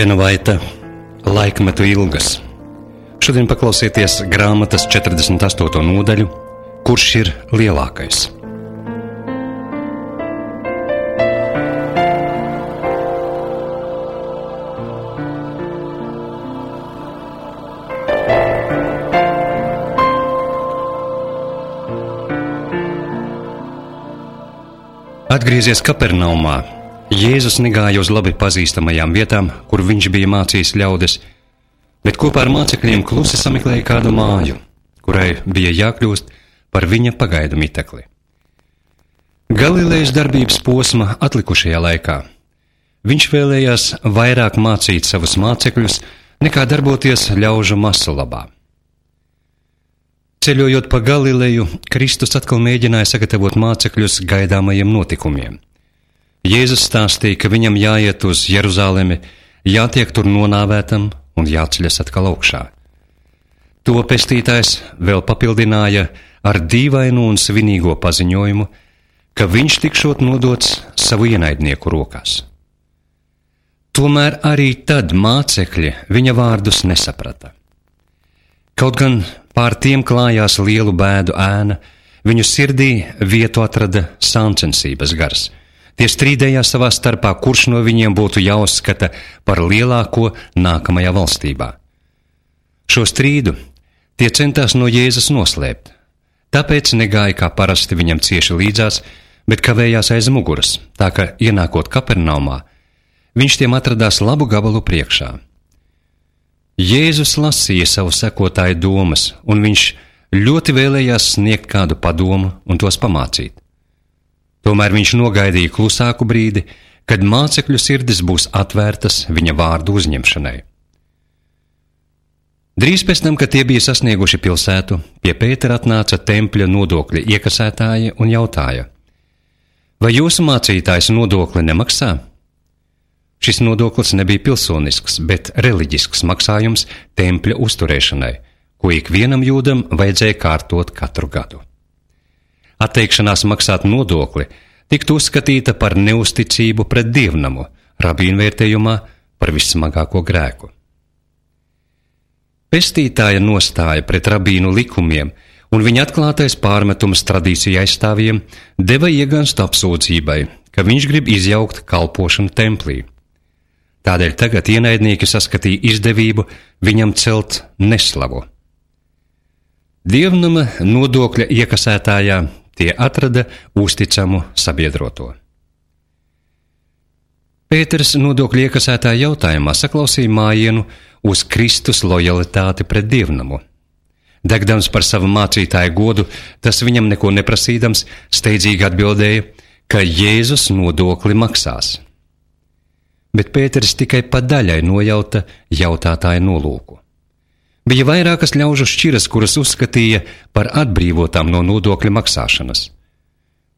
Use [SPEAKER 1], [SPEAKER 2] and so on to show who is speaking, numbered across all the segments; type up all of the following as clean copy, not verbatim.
[SPEAKER 1] Elēna Vaita, Laikmetu ilgas. Šodien paklausieties grāmatas 48. nodaļu, Kurš ir lielākais. Atgriezies Kapernaumā, Jēzus negāja uz labi pazīstamajām vietām, kur viņš bija mācījis ļaudis, bet kopā ar mācekļiem klusi sameklēja kādu māju, kurai bija jākļūst par viņa pagaidu mitekli. Galilejas darbības posma atlikušajā laikā viņš vēlējās vairāk mācīt savus mācekļus, nekā darboties ļaužu masu labā. Ceļojot pa Galileju, Kristus atkal mēģināja sagatavot mācekļus gaidāmajiem notikumiem. Jēzus stāstīja, ka viņam jāiet uz Jeruzalemi, jātiek tur nonāvētam un jāceļas atkal augšā. To pestītājs vēl papildināja ar dīvainu un svinīgo paziņojumu, ka viņš tikšot nodots savu ienaidnieku rokās. Tomēr arī tad mācekļi viņa vārdus nesaprata. Kaut gan pār tiem klājās lielu bēdu ēna, viņu sirdī vietu atrada sāncensības gars. Tie strīdējās savā starpā, kurš no viņiem būtu jāuzskata par lielāko nākamajā valstībā. Šo strīdu tie centās no Jēzus noslēpt, tāpēc negāja kā parasti viņam cieši līdzās, bet kavējās aiz muguras, tā ka, ienākot Kapernaumā, viņš tiem atradās labu gabalu priekšā. Jēzus lasīja savu sekotāju domas, un viņš ļoti vēlējās sniegt kādu padomu un tos pamācīt. Tomēr viņš nogaidīja klusāku brīdi, kad mācekļu sirdis būs atvērtas viņa vārdu uzņemšanai. Drīz pēc tam, kad tie bija sasnieguši pilsētu, pie Pētera atnāca tempļa nodokļa iekasētāji un jautāja: vai jūsu mācītājs nodokli nemaksā? Šis nodoklis nebija pilsonisks, bet reliģisks maksājums tempļa uzturēšanai, ko ikvienam jūdam vajadzēja kārtot katru gadu. Atteikšanās maksāt nodokli tiktu uzskatīta par neusticību pret dievnamu, rabīnu vērtējumā par vissmagāko grēku. Pestītāja nostāja pret rabīnu likumiem un viņa atklātais pārmetums tradīciju aizstāvjiem deva ieganstu apsūdzībai, ka viņš grib izjaukt kalpošanu templī. Tādēļ tagad ienaidnieki saskatīja izdevību viņam celt neslavu. Dievnama nodokļa iekasētājā tie atrada uzticamu sabiedroto. Pēters nodokļu iekasētāja jautājumā saklausīja mājienu uz Kristus lojalitāti pret dievnamu. Degdams par savu mācītāju godu, tas viņam neko neprasīdams, steidzīgi atbildēja, ka Jēzus nodokli maksās. Bet Pēters tikai pa daļai nojauta jautātāja nolūku. Bija vairākas ļaužu šķiras, kuras uzskatīja par atbrīvotām no nodokļu maksāšanas.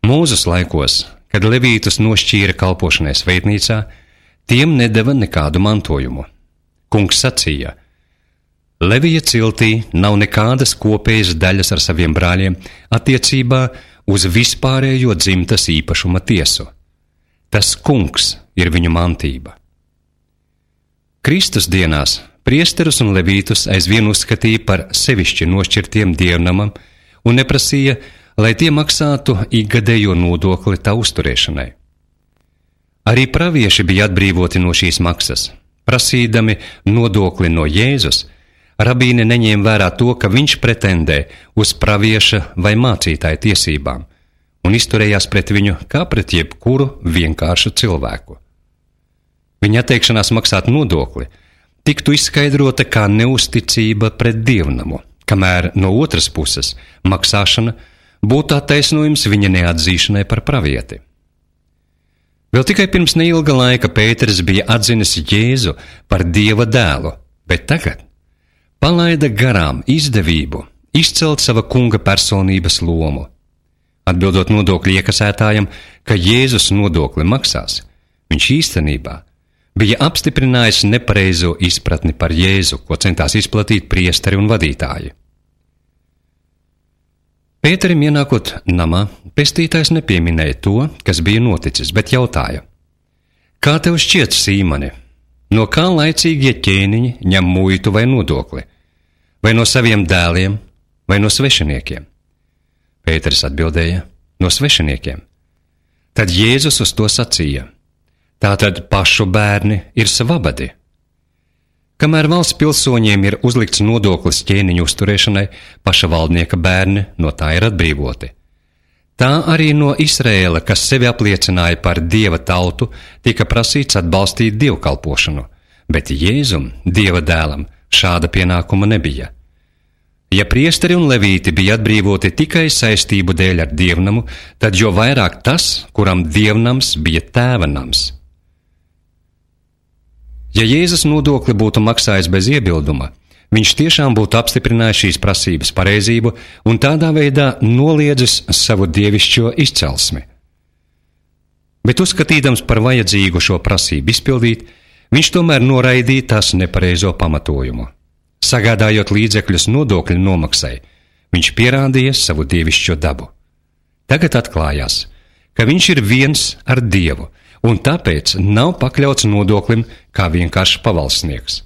[SPEAKER 1] Mūzes laikos, kad levītus nošķīra kalpošanai svētnīcā, tiem nedeva nekādu mantojumu. Kungs sacīja: Levija ciltī nav nekādas kopējas daļas ar saviem brāļiem attiecībā uz vispārējo dzimtas īpašuma tiesu. Tas kungs ir viņu mantība. Kristus dienās priesterus un levītus aizvien uzskatīja par sevišķi nošķirtiem dievnamam un neprasīja, lai tie maksātu ikgadējo nodokli tā uzturēšanai. Arī pravieši bija atbrīvoti no šīs maksas. Prasīdami nodokli no Jēzus, rabīni neņēma vērā to, ka viņš pretendē uz pravieša vai mācītāja tiesībām un izturējās pret viņu kā pret jebkuru vienkāršu cilvēku. Viņa atteikšanās maksāt nodokli tiktu izskaidrota kā neusticība pret dievnamu, kamēr no otras puses maksāšana būtu attaisnojums viņa neatzīšanai par pravieti. Vēl tikai pirms neilga laika Pēters bija atzinis Jēzu par Dieva dēlu, bet tagad palaida garām izdevību izcelt sava kunga personības lomu. Atbildot nodokļu iekasētājam, ka Jēzus nodokli maksās, viņš īstenībā bija apstiprinājis nepareizo izpratni par Jēzu, ko centās izplatīt priesteri un vadītāji. Pēterim ienākot namā, pestītājs nepieminēja to, kas bija noticis, bet jautāja: Kā tev šķiet, Sīmani? no kā laicīgie ķēniņi ņem muitu vai nodokli, vai no saviem dēliem, vai no svešiniekiem? Pēteris atbildēja: no svešiniekiem. Tad Jēzus uz to sacīja: tātad pašu bērni ir svabadi. Kamēr valsts pilsoņiem ir uzlikts nodoklis ķēniņu uzturēšanai, paša valdnieka bērni no tā ir atbrīvoti. Tā arī no Izraēla, kas sevi apliecināja par Dieva tautu, tika prasīts atbalstīt dievkalpošanu, bet Jēzum, Dieva dēlam, šāda pienākuma nebija. Ja priesteri un levīti bija atbrīvoti tikai saistību dēļ ar dievnamu, tad jo vairāk tas, kuram dievnams bija tēva nams. Ja Jēzus nodokli būtu maksājis bez iebilduma, viņš tiešām būtu apstiprinājis šīs prasības pareizību un tādā veidā noliedzis savu dievišķo izcelsmi. Bet uzskatīdams par vajadzīgu šo prasību izpildīt, viņš tomēr noraidīja tās nepareizo pamatojumu. Sagādājot līdzekļus nodokļu nomaksai, viņš pierādīja savu dievišķo dabu. Tagad atklājās, ka viņš ir viens ar Dievu, un tāpēc nav pakļauts nodoklim kā vienkārši pavalsnieks.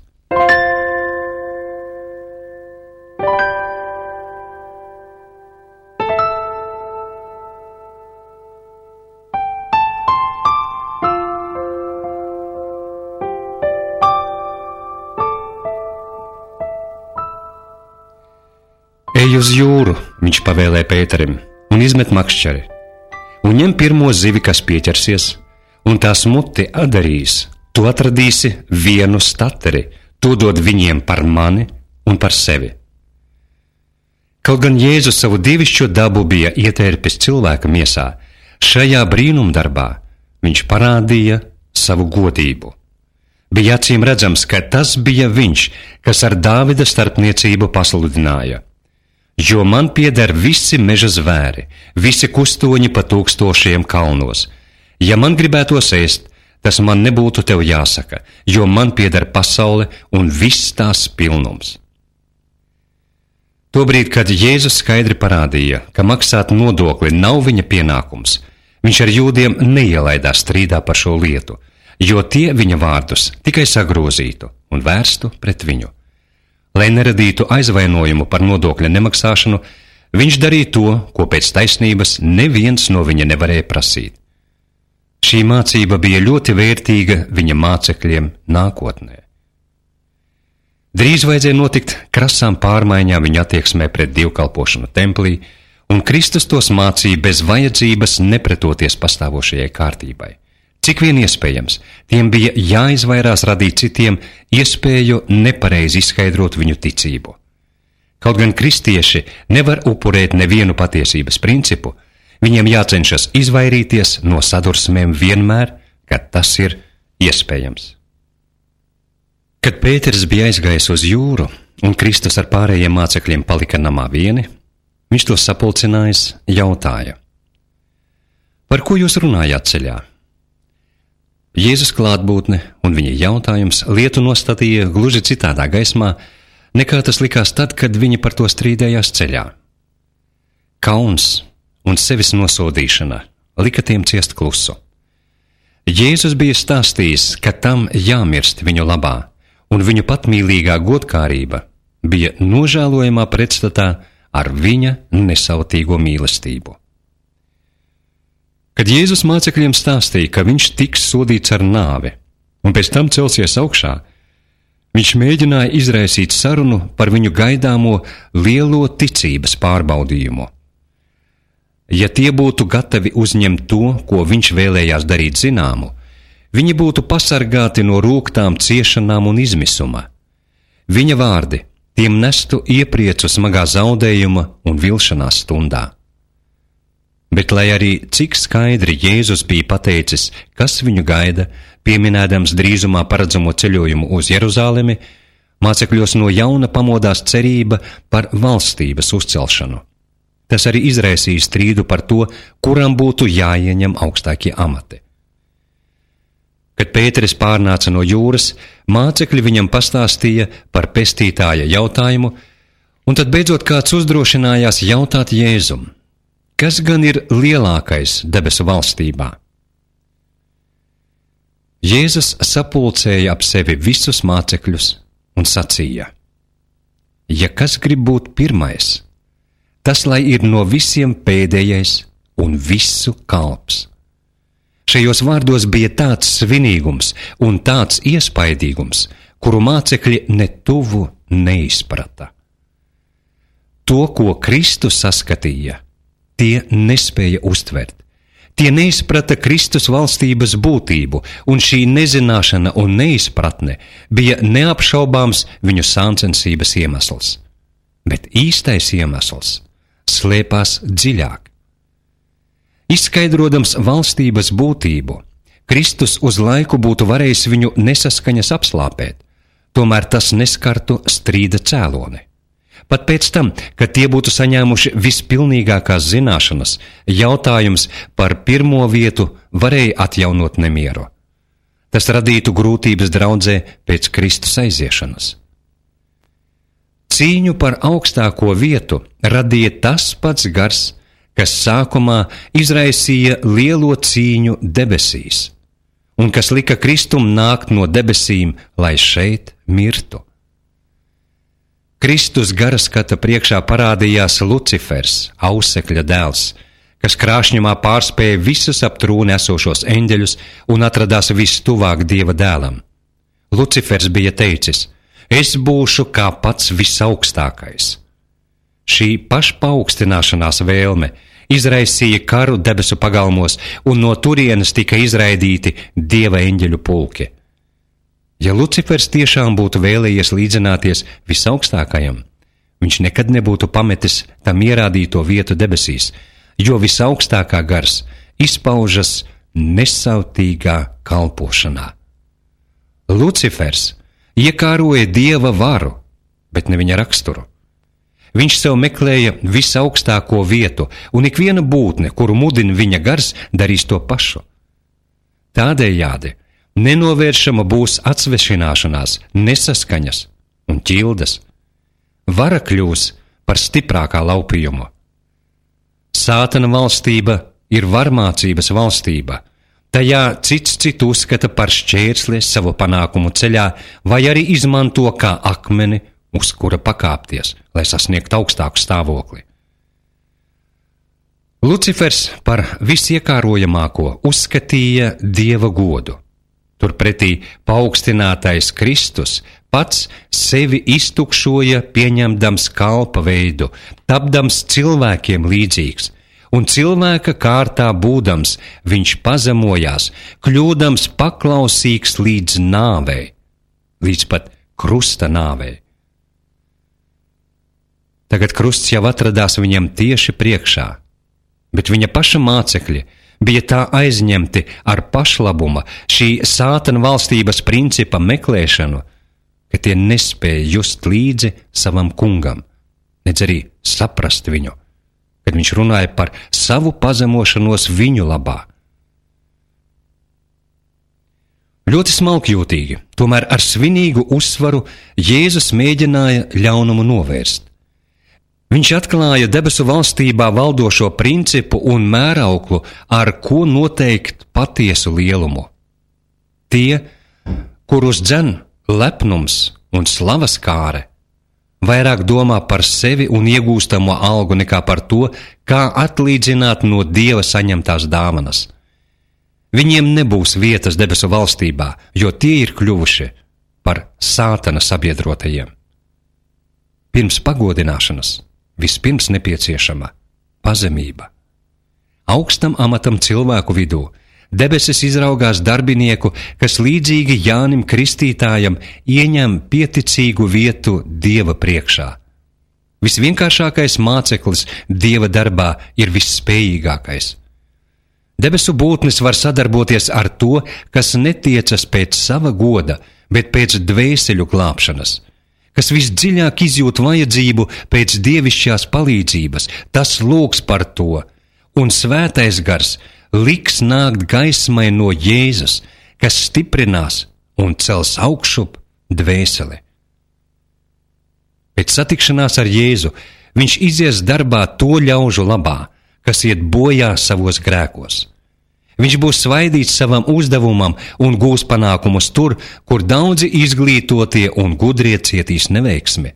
[SPEAKER 1] Ej uz jūru, viņš pavēlēja Pēterim, un izmet makšķeri, un ņem pirmo zivi, kas pieķersies, un tās muti atdarīs. Tu atradīsi vienu stateri, to dod viņiem par mani un par sevi. Kaut gan Jēzus savu dievišķo dabu bija ietērpis cilvēka miesā, šajā brīnumdarbā viņš parādīja savu godību. Bija acīm redzams, ka tas bija viņš, kas ar Dāvida starpniecību pasludināja: jo man pieder visi meža zvēri, visi kustoņi pa tūkstošiem kalnos. Ja man gribētos ēst, tas man nebūtu tev jāsaka, jo man pieder pasaule un viss tās pilnums. Tobrīd, kad Jēzus skaidri parādīja, ka maksāt nodokli nav viņa pienākums, viņš ar jūdiem neielaidās strīdā par šo lietu, jo tie viņa vārdus tikai sagrozītu un vērstu pret viņu. Lai neradītu aizvainojumu par nodokļa nemaksāšanu, viņš darīja to, ko pēc taisnības neviens no viņa nevarēja prasīt. Šī mācība bija ļoti vērtīga viņa mācekļiem nākotnē. Drīz vajadzēja notikt krasām pārmaiņām viņa attieksmē pret dievkalpošanu templī, un Kristus tos mācīja bez vajadzības nepretoties pastāvošajai kārtībai. Cik vien iespējams, tiem bija jāizvairās radīt citiem iespēju nepareizi izskaidrot viņu ticību. Kaut gan kristieši nevar upurēt nevienu patiesības principu, viņiem jācenšas izvairīties no sadursmēm vienmēr, kad tas ir iespējams. Kad Pēteris bija aizgājis uz jūru un Kristus ar pārējiem mācekļiem palika namā vieni, viņš to sapulcinājis jautāja: par ko jūs runājāt ceļā? Jēzus klātbūtne un viņa jautājums lietu nostatīja gluži citādā gaismā, nekā tas likās tad, kad viņi par to strīdējās ceļā. Kauns un sevis nosodīšana lika tiem ciest klusu. Jēzus bija stāstījis, ka tam jāmirst viņu labā, un viņu patmīlīgā godkārība bija nožēlojamā pretstatā ar viņa nesautīgo mīlestību. Kad Jēzus mācekļiem stāstīja, ka viņš tiks sodīts ar nāvi un pēc tam celsies augšā, viņš mēģināja izraisīt sarunu par viņu gaidāmo lielo ticības pārbaudījumu. Ja tie būtu gatavi uzņemt to, ko viņš vēlējās darīt zināmu, viņi būtu pasargāti no rūgtām ciešanām un izmisuma. Viņa vārdi tiem nestu iepriecu smagā zaudējuma un vilšanās stundā. Bet, lai arī cik skaidri Jēzus bija pateicis, kas viņu gaida, pieminēdams drīzumā paredzamo ceļojumu uz Jeruzalemi, mācekļos no jauna pamodās cerība par valstības uzcelšanu. Tas arī izraisīja strīdu par to, kuram būtu jāieņem augstākie amati. Kad Pēteris pārnāca no jūras, mācekļi viņam pastāstīja par pestītāja jautājumu, un tad beidzot kāds uzdrošinājās jautāt Jēzum: kas gan ir lielākais debesu valstībā? Jēzus sapulcēja ap sevi visus mācekļus un sacīja: Ja kas grib būt pirmais, tas lai ir no visiem pēdējais un visu kalps. Šajos vārdos bija tāds svinīgums un tāds iespaidīgums, kuru mācekļi ne tuvu neizprata. To, ko Kristus saskatīja, tie nespēja uztvert. Tie neizprata Kristus valstības būtību, un šī nezināšana un neizpratne bija neapšaubāms viņu sāncensības iemesls. Bet īstais iemesls slēpās dziļāk. Izskaidrodams valstības būtību, Kristus uz laiku būtu varējis viņu nesaskaņas apslāpēt, tomēr tas neskartu strīda cēloni. Pat pēc tam, kad tie būtu saņēmuši vispilnīgākās zināšanas, jautājums par pirmo vietu varēja atjaunot nemieru. Tas radītu grūtības draudzē pēc Kristus aiziešanas. Cīņu par augstāko vietu radīja tas pats gars, kas sākumā izraisīja lielo cīņu debesīs, un kas lika Kristum nākt no debesīm, lai šeit mirtu. Kristus gara skata priekšā parādījās Lucifers, ausekļa dēls, kas krāšņumā pārspēja visus ap trūni esošos eņģeļus un atradās vistuvāk Dieva dēlam. Lucifers bija teicis: Es būšu kā pats visaugstākais. Šī pašpaaugstināšanās vēlme izraisīja karu debesu pagalmos, un no turienes tika izraidīti Dieva eņģeļu pulki. Ja Lucifers tiešām būtu vēlējies līdzināties visaugstākajam, viņš nekad nebūtu pametis tam ierādīto vietu debesīs, jo visaugstākā gars izpaužas nesautīgā kalpošanā. Lucifers iekāroja Dieva varu, bet ne viņa raksturu. Viņš sev meklēja visaugstāko vietu, un ikviena būtne, kuru mudina viņa gars, darīs to pašu. Tādējādi nenovēršama būs atsvešināšanās, nesaskaņas un ķildes. Vara kļūs par stiprākā laupījumu. Sātana valstība ir varmācības valstība. Tajā cits citu uzskata par šķērsli savu panākumu ceļā, vai arī izmanto kā akmeni, uz kura pakāpties, lai sasniegtu augstāku stāvokli. Lucifers par visiekārojamāko uzskatīja Dieva godu. Turpretī paaugstinātais Kristus pats sevi iztukšoja, pieņemdams kalpa veidu, tapdams cilvēkiem līdzīgs, un cilvēka kārtā būdams, viņš pazemojās, kļūdams paklausīgs līdz nāvei, līdz pat krusta nāvei. Tagad krusts jau atradās viņam tieši priekšā, bet viņa paša mācekļi bija tā aizņemti ar pašlabuma, šī sātana valstības principa meklēšanu, ka tie nespēja just līdzi savam kungam, nedz arī saprast viņu, kad viņš runāja par savu pazemošanos viņu labā. Ļoti smalkjūtīgi, tomēr ar svinīgu uzsvaru Jēzus mēģināja ļaunumu novērst. Viņš atklāja debesu valstībā valdošo principu un mērauklu, ar ko noteikt patiesu lielumu. Tie, kurus dzen lepnums un slavas kāre, vairāk domā par sevi un iegūstamo algu nekā par to, kā atlīdzināt no Dieva saņemtās dāvanas. Viņiem nebūs vietas debesu valstībā, jo tie ir kļuvuši par sātana sabiedrotajiem. Pirms pagodināšanas vispirms nepieciešama pazemība. Augstam amatam cilvēku vidū debesis izraugās darbinieku, kas līdzīgi Jānim Kristītājam ieņem pieticīgu vietu Dieva priekšā. Visvienkāršākais māceklis Dieva darbā ir visspējīgākais. Debesu būtnes var sadarboties ar to, kas netiecas pēc sava goda, bet pēc dvēseļu glābšanas, kas visdziļāk izjūt vajadzību pēc dievišķās palīdzības, tas lūgs par to, un svētais gars liks nākt gaismai no Jēzus, kas stiprinās un cels augšup dvēseli. Pēc satikšanās ar Jēzu viņš izies darbā to ļaužu labā, kas iet bojā savos grēkos. Viņš būs svaidīts savam uzdevumam un gūs panākumus tur, kur daudzi izglītotie un gudrie cietīs neveiksmi.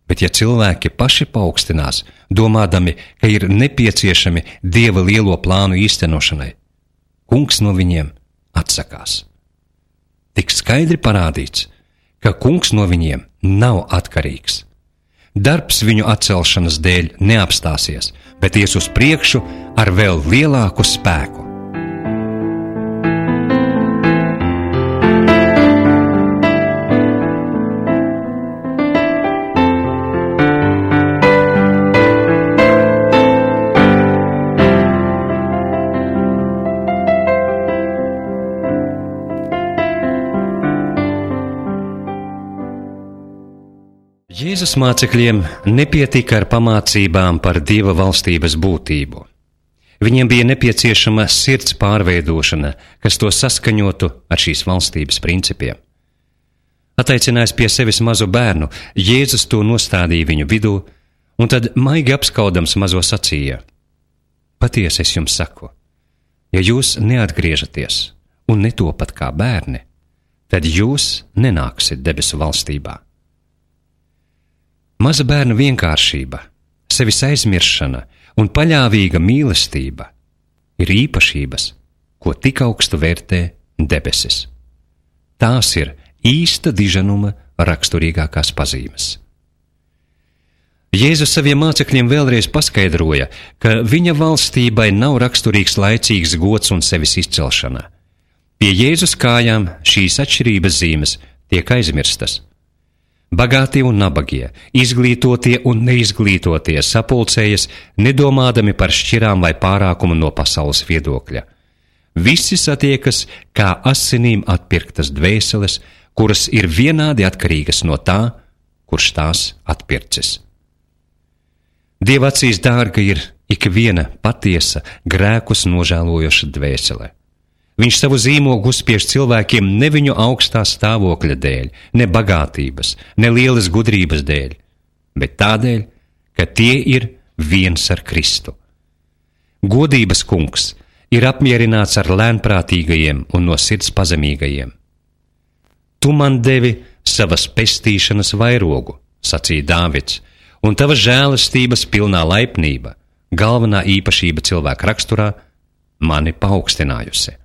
[SPEAKER 1] Bet ja cilvēki paši paaugstinās, domādami, ka ir nepieciešami Dieva lielo plānu īstenošanai, Kungs no viņiem atsakās. Tik skaidri parādīts, ka Kungs no viņiem nav atkarīgs. Darbs viņu atcelšanas dēļ neapstāsies, bet ies uz priekšu ar vēl lielāku spēku. Jēzus mācekļiem nepietika ar pamācībām par Dieva valstības būtību. Viņiem bija nepieciešama sirds pārveidošana, kas to saskaņotu ar šīs valstības principiem. Attaicinājis pie sevis mazu bērnu, Jēzus to nostādīja viņu vidū, un tad maigi apskaudams mazo sacīja: Patiesi es jums saku, ja jūs neatgriežaties un netopat kā bērni, tad jūs nenāksiet debesu valstībā. Maza bērna vienkāršība, sevis aizmiršana un paļāvīga mīlestība ir īpašības, ko tik augstu vērtē debesis. Tās ir īsta diženuma raksturīgākās pazīmes. Jēzus saviem mācekļiem vēlreiz paskaidroja, ka viņa valstībai nav raksturīgs laicīgs gods un sevis izcelšana. Pie Jēzus kājām šīs atšķirības zīmes tiek aizmirstas. Bagātie un nabagie, izglītotie un neizglītotie sapulcējas, nedomādami par šķirām vai pārākumu no pasaules viedokļa. Visi satiekas kā asinīm atpirktas dvēseles, kuras ir vienādi atkarīgas no tā, kurš tās atpircis. Dieva acīs dārga ir ik viena patiesa, grēkus nožēlojoša dvēsele. Viņš savu zīmogu uzspiež cilvēkiem ne viņu augstā stāvokļa dēļ, ne bagātības, ne lielas gudrības dēļ, bet tādēļ, ka tie ir viens ar Kristu. Godības kungs ir apmierināts ar lēnprātīgajiem un no sirds pazemīgajiem. Tu man devi savas pestīšanas vairogu, sacīja Dāvids, un tava žēlastības pilnā laipnība, galvenā īpašība cilvēka raksturā, mani paaugstinājusi.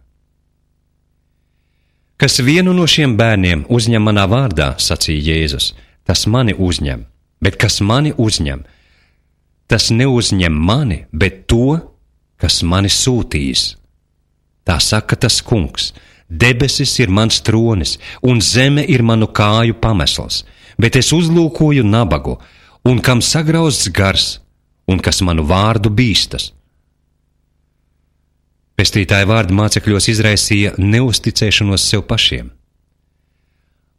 [SPEAKER 1] Kas vienu no šiem bērniem uzņem manā vārdā, sacīja Jēzus, tas mani uzņem, bet kas mani uzņem, tas neuzņem mani, bet to, kas mani sūtījis. Tā saka tas kungs: debesis ir mans tronis, un zeme ir manu kāju pamesls, bet es uzlūkoju nabagu, un kam sagrauzts gars, un kas manu vārdu bīstas. Pestītāja vārdi mācekļos izraisīja neusticēšanos sev pašiem.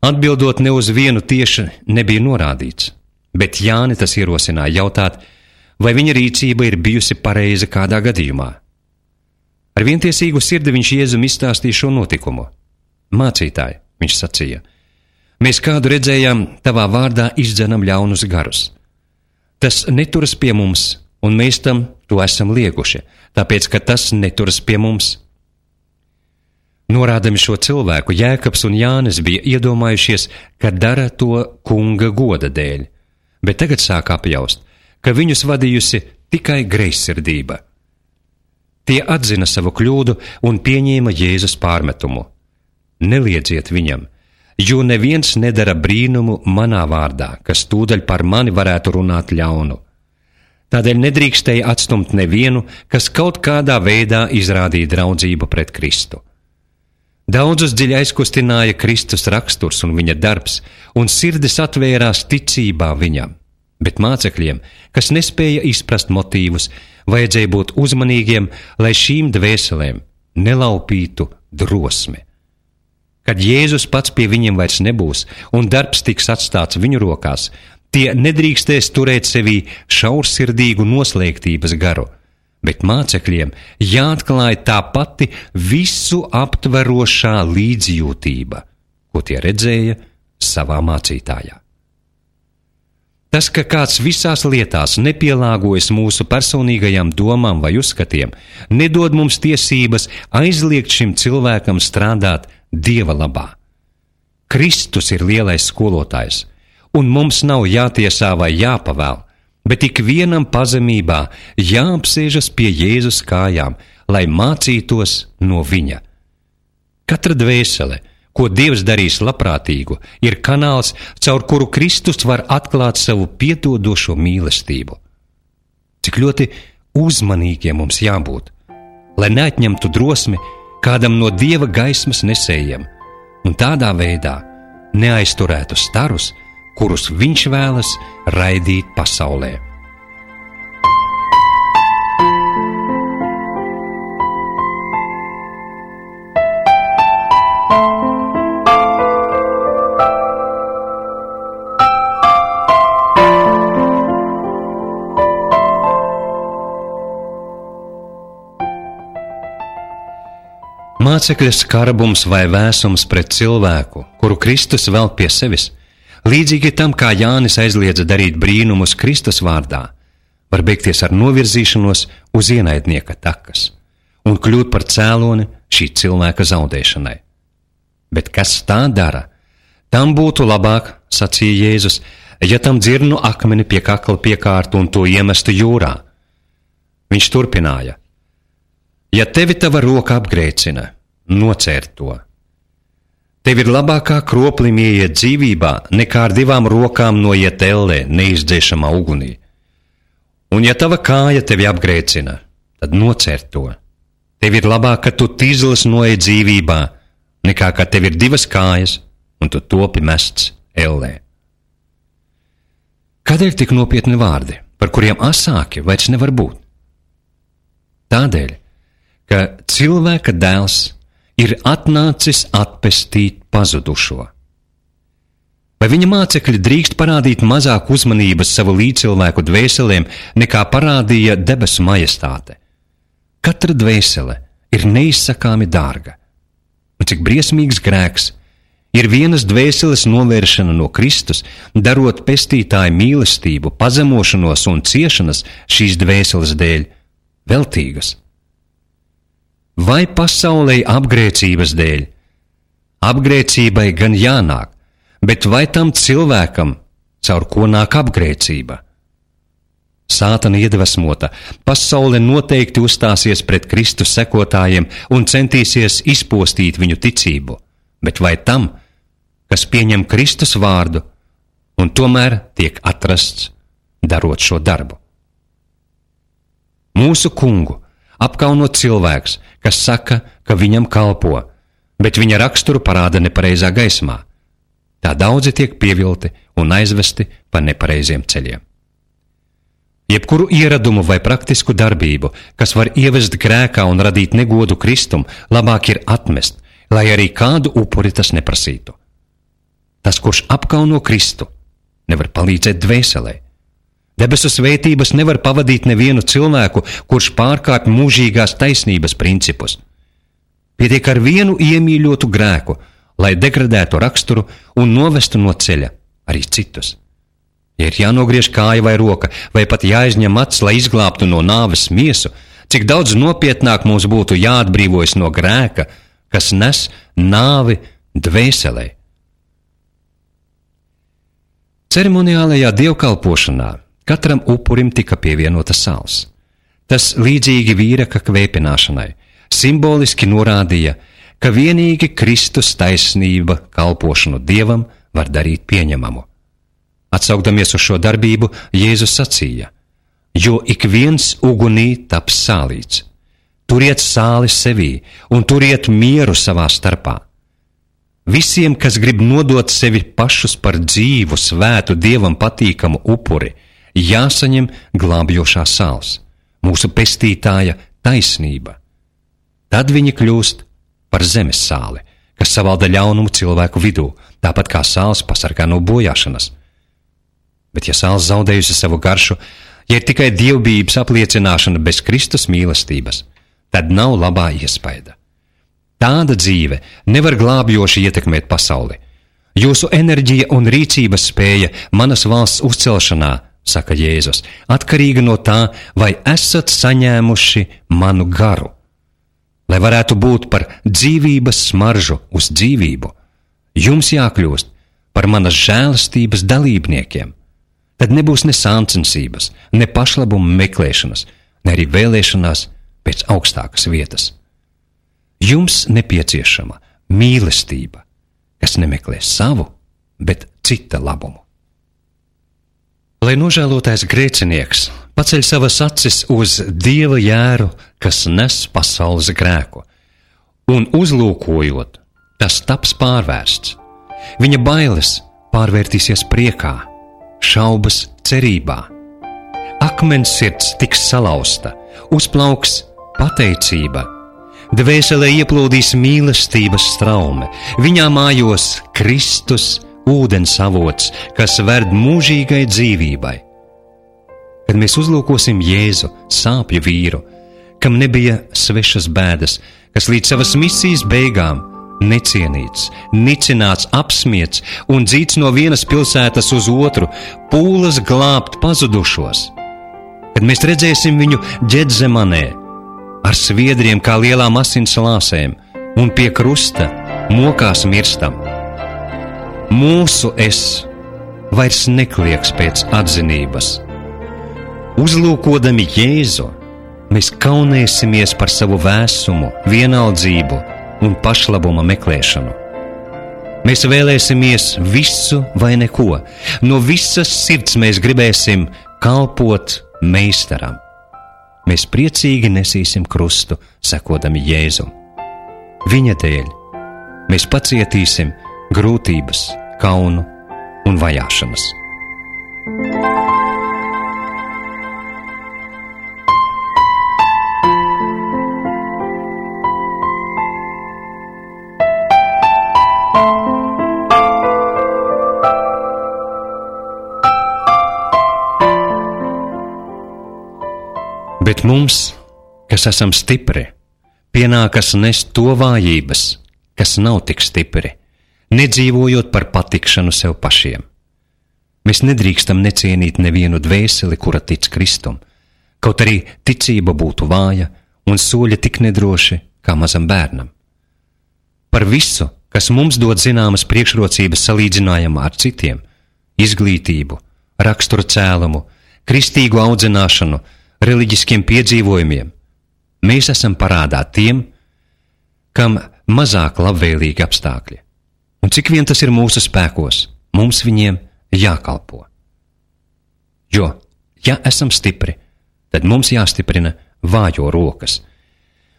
[SPEAKER 1] Atbildot ne uz vienu tieši nebija norādīts, bet Jāni tas ierosināja jautāt, vai viņa rīcība ir bijusi pareiza kādā gadījumā. Ar vientiesīgu sirdi viņš Jēzum izstāstīja šo notikumu. Mācītāji, viņš sacīja, mēs kādu redzējām tavā vārdā izdzenam ļaunus garus. Tas neturas pie mums, un mēs tam to esam lieguši, tāpēc, ka tas neturas pie mums. Norādami šo cilvēku, Jēkabs un Jānis bija iedomājušies, ka dara to kunga goda dēļ, bet tagad sāk apjaust, ka viņus vadījusi tikai greizsirdība. Tie atzina savu kļūdu un pieņēma Jēzus pārmetumu. Neliedziet viņam, jo neviens nedara brīnumu manā vārdā, kas tūdaļ par mani varētu runāt ļaunu. Tādēļ nedrīkstēja atstumt nevienu, kas kaut kādā veidā izrādīja draudzību pret Kristu. Daudzus dziļi aizkustināja Kristus raksturs un viņa darbs, un sirdis atvērās ticībā viņam, bet mācekļiem, kas nespēja izprast motīvus, vajadzēja būt uzmanīgiem, lai šīm dvēselēm nelaupītu drosmi. Kad Jēzus pats pie viņiem vairs nebūs un darbs tiks atstāts viņu rokās, tie nedrīkstēs turēt sevī šaursirdīgu noslēgtības garu, bet mācekļiem jāatklāj tā pati visu aptverošā līdzjūtība, ko tie redzēja savā mācītājā. Tas, ka kāds visās lietās nepielāgojas mūsu personīgajām domām vai uzskatiem, nedod mums tiesības aizliegt šim cilvēkam strādāt Dieva labā. Kristus ir lielais skolotājs, un mums nav jātiesā vai jāpavēl, bet ikvienam pazemībā jāapsēžas pie Jēzus kājām, lai mācītos no viņa. Katra dvēsele, ko Dievs darīs labprātīgu, ir kanāls, caur kuru Kristus var atklāt savu piedodošo mīlestību. Cik ļoti uzmanīgiem mums jābūt, lai neatņemtu drosmi kādam no Dieva gaismas nesējiem, un tādā veidā neaizturētu starus, kurus viņš vēlas raidīt pasaulē. Mācekļa skarbums vai vēsums pret cilvēku, kuru Kristus velk pie sevis, līdzīgi tam, kā Jānis aizliedza darīt brīnumus Kristus vārdā, var beigties ar novirzīšanos uz ienaidnieka takas un kļūt par cēloni šī cilvēka zaudēšanai. Bet kas tā dara? Tam būtu labāk, sacīja Jēzus, ja tam dzirnu akmeni pie kakla piekārtu un to iemestu jūrā. Viņš turpināja: ja tevi tava roka apgrēcina, nocērt to. Tev ir labākā kroplim ieiet dzīvībā, nekā ar 2 rokām noiet ellē neizdzēšamā ugunī. Un ja tava kāja tevi apgrēcina, tad nocērt to. Tev ir labāk, ka tu tīzlis noiet dzīvībā, nekā ka tev ir 2 kājas un tu topi mests ellē. Kādēļ tik nopietni vārdi, par kuriem asāki vairs nevar būt? Tādēļ, ka cilvēka dēls ir atnācis atpestīt pazudušo. Vai viņa mācekļi drīkst parādīt mazāk uzmanības savu līdzcilvēku dvēselēm, nekā parādīja debesu majestāte? Katra dvēsele ir neizsakāmi dārga. Un cik briesmīgs grēks ir vienas dvēseles novēršana no Kristus, darot pestītāju mīlestību, pazemošanos un ciešanas šīs dvēseles dēļ veltīgas. Vai pasaulei apgrēcības dēļ? Apgrēcībai gan jānāk, bet vai tam cilvēkam, caur ko nāk apgrēcība? Sātana iedvesmota, pasaule noteikti uzstāsies pret Kristus sekotājiem un centīsies izpostīt viņu ticību, bet vai tam, kas pieņem Kristus vārdu un tomēr tiek atrasts, darot šo darbu? Mūsu kungu apkauno cilvēks, kas saka, ka viņam kalpo, bet viņa raksturu parāda nepareizā gaismā. Tā daudzi tiek pievilti un aizvesti pa nepareiziem ceļiem. Jebkuru ieradumu vai praktisku darbību, kas var ievest grēkā un radīt negodu Kristum, labāk ir atmest, lai arī kādu upuri tas neprasītu. Tas, kurš apkauno Kristu, nevar palīdzēt dvēselē. Debesu svētības nevar pavadīt nevienu cilvēku, kurš pārkāpj mūžīgās taisnības principus. Pietiek ar vienu iemīļotu grēku, lai degradētu raksturu un novestu no ceļa arī citus. Ja ir jānogriež kāja vai roka, vai pat jāizņem acis, lai izglābtu no nāves miesu, cik daudz nopietnāk mums būtu jāatbrīvojas no grēka, kas nes nāvi dvēselē. Ceremoniālajā dievkalpošanā katram upurim tika pievienota sāls. Tas līdzīgi vīraka kvēpināšanai simboliski norādīja, ka vienīgi Kristus taisnība kalpošanu Dievam var darīt pieņemamu. Atsaukdamies uz šo darbību, Jēzus sacīja: jo ik viens ugunī taps sālīts. Turiet sāli sevī un turiet mieru savā starpā. Visiem, kas grib nodot sevi pašus par dzīvu, svētu, Dievam patīkamu upuri, jāsaņem glābjošā sāls, mūsu pestītāja taisnība. Tad viņi kļūst par zemes sāli, kas savalda ļaunumu cilvēku vidū, tāpat kā sāls pasargā no bojāšanas. Bet ja sāls zaudējusi savu garšu, ja ir tikai dievbijības apliecināšana bez Kristus mīlestības, tad nav labā iespaida. Tāda dzīve nevar glābjoši ietekmēt pasauli, Jūsu enerģija un rīcības spēja manas valsts uzcelšanā, saka Jēzus, atkarīga no tā, vai esat saņēmuši manu garu. Lai varētu būt par dzīvības smaržu uz dzīvību, jums jākļūst par manas žēlastības dalībniekiem. Tad nebūs ne sāncensības, ne pašlabuma meklēšanas, ne arī vēlēšanās pēc augstākas vietas. Jums nepieciešama mīlestība, kas nemeklē savu, bet cita labumu. Lai nožēlotais grēcinieks paceļ savas acis uz Dieva jēru, kas nes pasaules grēku, un uzlūkojot, tas taps pārvērsts. Viņa bailes pārvērtīsies priekā, šaubas cerībā. Akmens sirds tiks salauzta, uzplauks pateicība. Dvēselē ieplūdīs mīlestības straume, viņā mājos Kristus ūdens avots, kas ved mūžīgai dzīvībai. Kad mēs uzlūkosim Jēzu, sāpju vīru, kam nebija svešas bēdas, kas līdz savas misijas beigām necienīts, nicināts, apsmiets un dzīts no vienas pilsētas uz otru, pūlas glābt pazudušos. Kad mēs redzēsim viņu Ģedzemanē, ar sviedriem kā lielām asins lāsēm, un pie krusta mokās mirstam. Mūsu es vairs neklieks pēc atzinības. Uzlūkodami Jēzu, mēs kaunēsimies par savu vēsumu, vienaldzību un pašlabuma meklēšanu. Mēs vēlēsimies visu vai neko. No visas sirds mēs gribēsim kalpot meistaram. Mēs priecīgi nesīsim krustu, sekodami Jēzum. Viņa dēļ mēs pacietīsim grūtības, kaunu un vajāšanas. Bet mums, kas esam stipri, pienākas nest to vājības, kas nav tik stipri, nedzīvojot par patikšanu sev pašiem. Mēs nedrīkstam necienīt nevienu dvēseli, kura tic Kristum, kaut arī ticība būtu vāja un soļi tik nedroši kā mazam bērnam. Par visu, kas mums dod zināmas priekšrocības salīdzinājumā ar citiem, izglītību, rakstura cēlumu, kristīgu audzināšanu, reliģiskiem piedzīvojumiem, mēs esam parādā tiem, kam mazāk labvēlīgi apstākļi. Un cik vien tas ir mūsu spēkos, mums viņiem jākalpo. Jo, ja esam stipri, tad mums jāstiprina vājo rokas.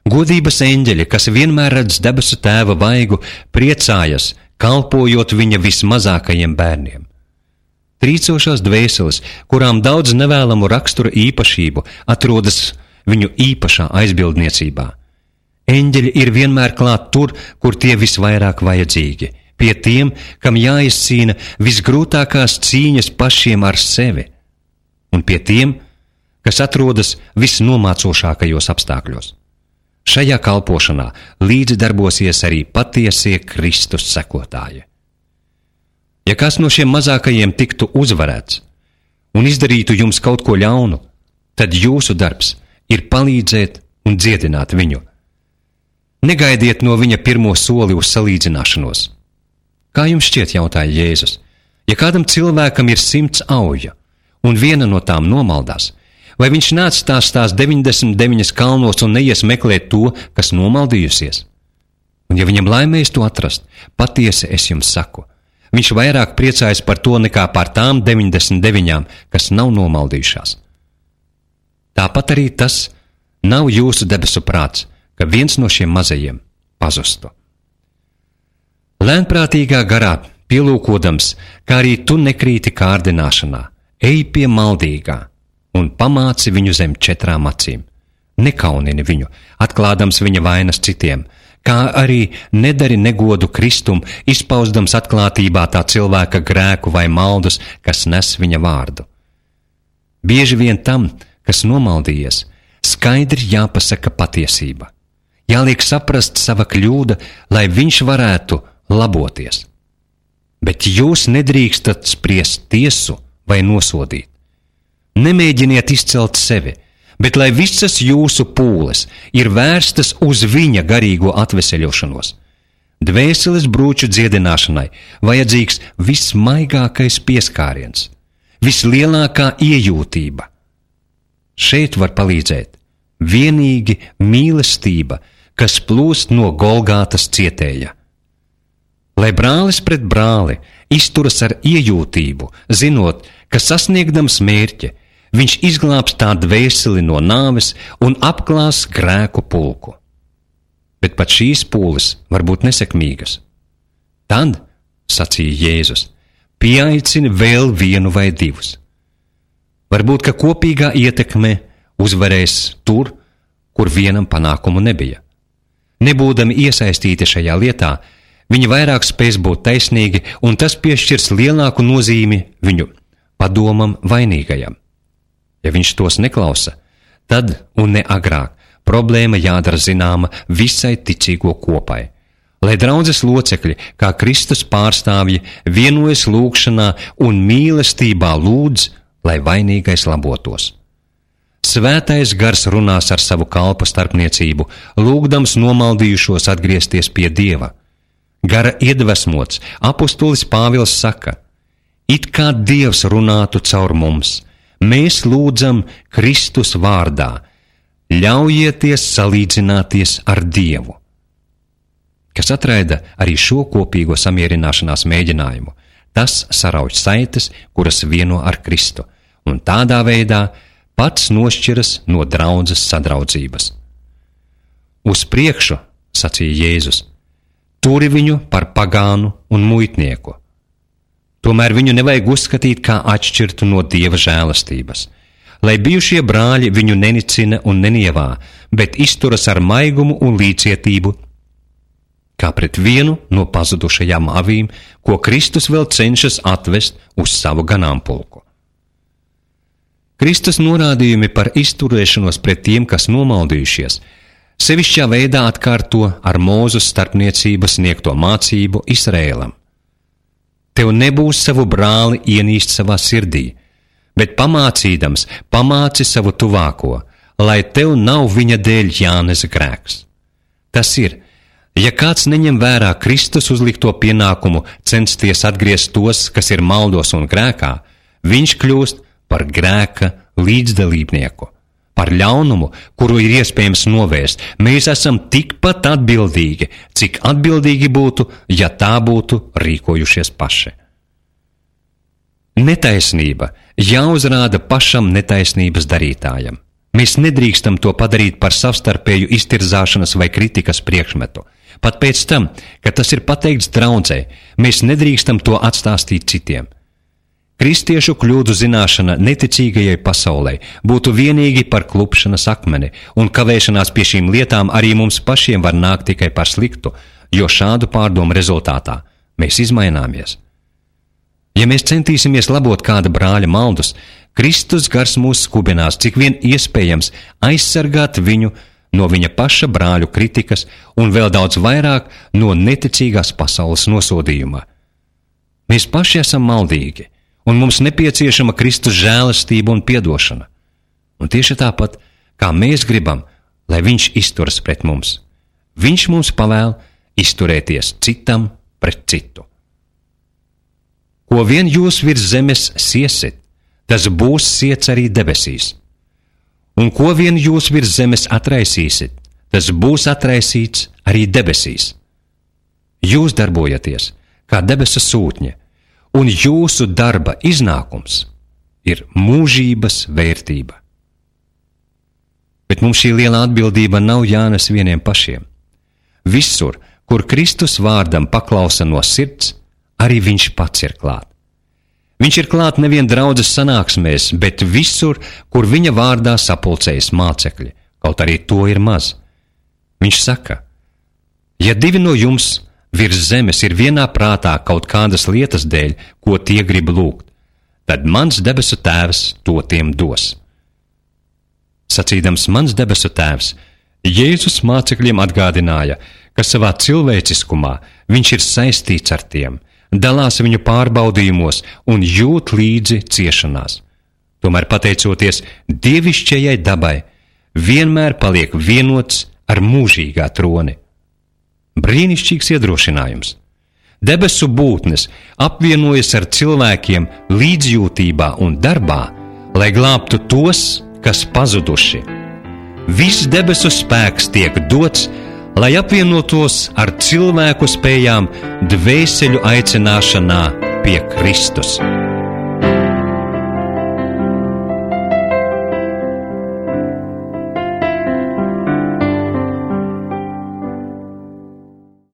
[SPEAKER 1] Godības eņģeļi, kas vienmēr redz debesu Tēva vaigu, priecājas, kalpojot viņa vismazākajiem bērniem. Trīcošās dvēseles, kurām daudz nevēlamu rakstura īpašību, atrodas viņu īpašā aizbildniecībā. Eņģeļi ir vienmēr klāt tur, kur tie visvairāk vajadzīgi, pie tiem, kam jāizcīna visgrūtākās cīņas pašiem ar sevi, un pie tiem, kas atrodas visnomācošākajos apstākļos. Šajā kalpošanā līdzi darbosies arī patiesie Kristus sekotāji. Ja kas no šiem mazākajiem tiktu uzvarēts un izdarītu jums kaut ko ļaunu, tad jūsu darbs ir palīdzēt un dziedināt viņu. Negaidiet no viņa pirmo soli uz salīdzināšanos. Kā jums šķiet, jautāja Jēzus, ja kādam cilvēkam ir 100 auja un viena no tām nomaldās, vai viņš neatstās 99 kalnos un neies meklēt to, kas nomaldījusies? Un ja viņam laimēs to atrast, patiesi es jums saku, viņš vairāk priecājas par to nekā par tām 99, kas nav nomaldījušās. Tāpat arī tas nav jūsu debesu prāts, ka viens no šiem mazajiem pazustu. Lēnprātīgā garā pielūkodams, kā arī tu nekrīti kārdināšanā, ej pie maldīgā un pamāci viņu zem 4 acīm. Nekaunini viņu, atklādams viņa vainas citiem, kā arī nedari negodu Kristum, izpausdams atklātībā tā cilvēka grēku vai maldus, kas nes viņa vārdu. Bieži vien tam, kas nomaldījies, skaidri jāpasaka patiesība. Jāliek saprast sava kļūda, lai viņš varētu laboties. Bet jūs nedrīkstat spriest tiesu vai nosodīt. Nemēģiniet izcelt sevi, bet lai visas jūsu pūles ir vērstas uz viņa garīgo atveseļošanos. Dvēseles brūču dziedināšanai vajadzīgs vismaigākais pieskāriens, vislielākā iejūtība. Šeit var palīdzēt vienīgi mīlestība, kas plūst no Golgātas cietēja. Lai brālis pret brāli izturas ar iejūtību, zinot, ka sasniegdams mērķi, viņš izglābs tā dvēseli no nāves un apklās grēku pulku. Bet pat šīs pūles var būt nesekmīgas. Tad, sacīja Jēzus, pieaicini vēl vienu vai divus. Varbūt, ka kopīgā ietekme uzvarēs tur, kur vienam panākumu nebija. Nebūdami iesaistīti šajā lietā, viņi vairāk spēs būt taisnīgi, un tas piešķirs lielāku nozīmi viņu padomam vainīgajam. Ja viņš tos neklausa, tad un ne agrāk problēma jādara zināma visai ticīgo kopai, lai draudzes locekļi, kā Kristus pārstāvji, vienojas lūgšanā un mīlestībā lūdz, lai vainīgais labotos. Svētais gars runās ar savu kalpa starpniecību, lūgdams nomaldījušos atgriezties pie Dieva. Gara iedvesmots, apustulis Pāvils saka: it kā Dievs runātu caur mums, mēs lūdzam Kristus vārdā, ļaujieties salīdzināties ar Dievu. Kas atraida arī šo kopīgo samierināšanās mēģinājumu, tas sarauj saites, kuras vieno ar Kristu, un tādā veidā pats nošķiras no draudzes sadraudzības. Uz priekšu, sacīja Jēzus, turi viņu par pagānu un muitnieku. Tomēr viņu nevajag uzskatīt kā atšķirtu no Dieva žēlastības, lai bijušie brāļi viņu nenicina un nenievā, bet izturas ar maigumu un līdzcietību, kā pret vienu no pazudušajām avīm, ko Kristus vēl cenšas atvest uz savu ganāmpulku. Kristus norādījumi par izturēšanos pret tiem, kas nomaldījušies, sevišķā veidā atkārto ar Mūzes starpniecības sniegto mācību Izraēlam. Tev nebūs savu brāli ienīst savā sirdī, bet pamācīdams pamāci savu tuvāko, lai tev nav viņa dēļ jānes grēks. Tas ir, ja kāds neņem vērā Kristus uzlikto pienākumu censties atgriezt tos, kas ir maldos un grēkā, viņš kļūst par grēka līdzdalībnieku, par ļaunumu, kuru ir iespējams novērst. Mēs esam tikpat atbildīgi, cik atbildīgi būtu, ja tā būtu rīkojušies paši. Netaisnība jāuzrāda pašam netaisnības darītājam. Mēs nedrīkstam to padarīt par savstarpēju iztirzāšanas vai kritikas priekšmetu. Pat pēc tam, kad tas ir pateikts draudzē, mēs nedrīkstam to atstāstīt citiem. Kristiešu kļūdu zināšana neticīgajai pasaulē būtu vienīgi par klupšanas akmeni, un kavēšanās pie šīm lietām arī mums pašiem var nākt tikai par sliktu, jo šādu pārdomu rezultātā mēs izmaināmies. Ja mēs centīsimies labot kāda brāļa maldus, Kristus gars mūs skubinās, cik vien iespējams aizsargāt viņu no viņa paša brāļu kritikas un vēl daudz vairāk no neticīgās pasaules nosodījuma. Mēs paši esam maldīgi, un mums nepieciešama Kristus žēlastība un piedošana. Un tieši tāpat, kā mēs gribam, lai viņš izturas pret mums, viņš mums pavēl izturēties citam pret citu. Ko vien jūs virs zemes siesit, tas būs siets arī debesīs. Un ko vien jūs virs zemes atraisīsit, tas būs atraisīts arī debesīs. Jūs darbojaties kā debesu sūtņi, un jūsu darba iznākums ir mūžības vērtība. Bet mums šī liela atbildība nav jānes vieniem pašiem. Visur, kur Kristus vārdam paklausa no sirds, arī viņš pats ir klāt. Viņš ir klāt nevien draudzes sanāksmēs, bet visur, kur viņa vārdā sapulcējas mācekļi, kaut arī to ir maz. Viņš saka: ja divi no jums virs zemes ir vienā prātā kaut kādas lietas dēļ, ko tie grib lūgt, tad mans debesu tēvs to tiem dos. Sacīdams mans debesu tēvs, Jēzus mācekļiem atgādināja, ka savā cilvēciskumā viņš ir saistīts ar tiem, dalās viņu pārbaudījumos un jūt līdzi ciešanās. Tomēr, pateicoties dievišķajai dabai, vienmēr paliek vienots ar mūžīgā troni. Brīnišķīgs iedrošinājums. Debesu būtnes apvienojas ar cilvēkiem līdzjūtībā un darbā, lai glābtu tos, kas pazuduši. Viss debesu spēks tiek dots, lai apvienotos ar cilvēku spējām dvēseļu aicināšanā pie Kristus.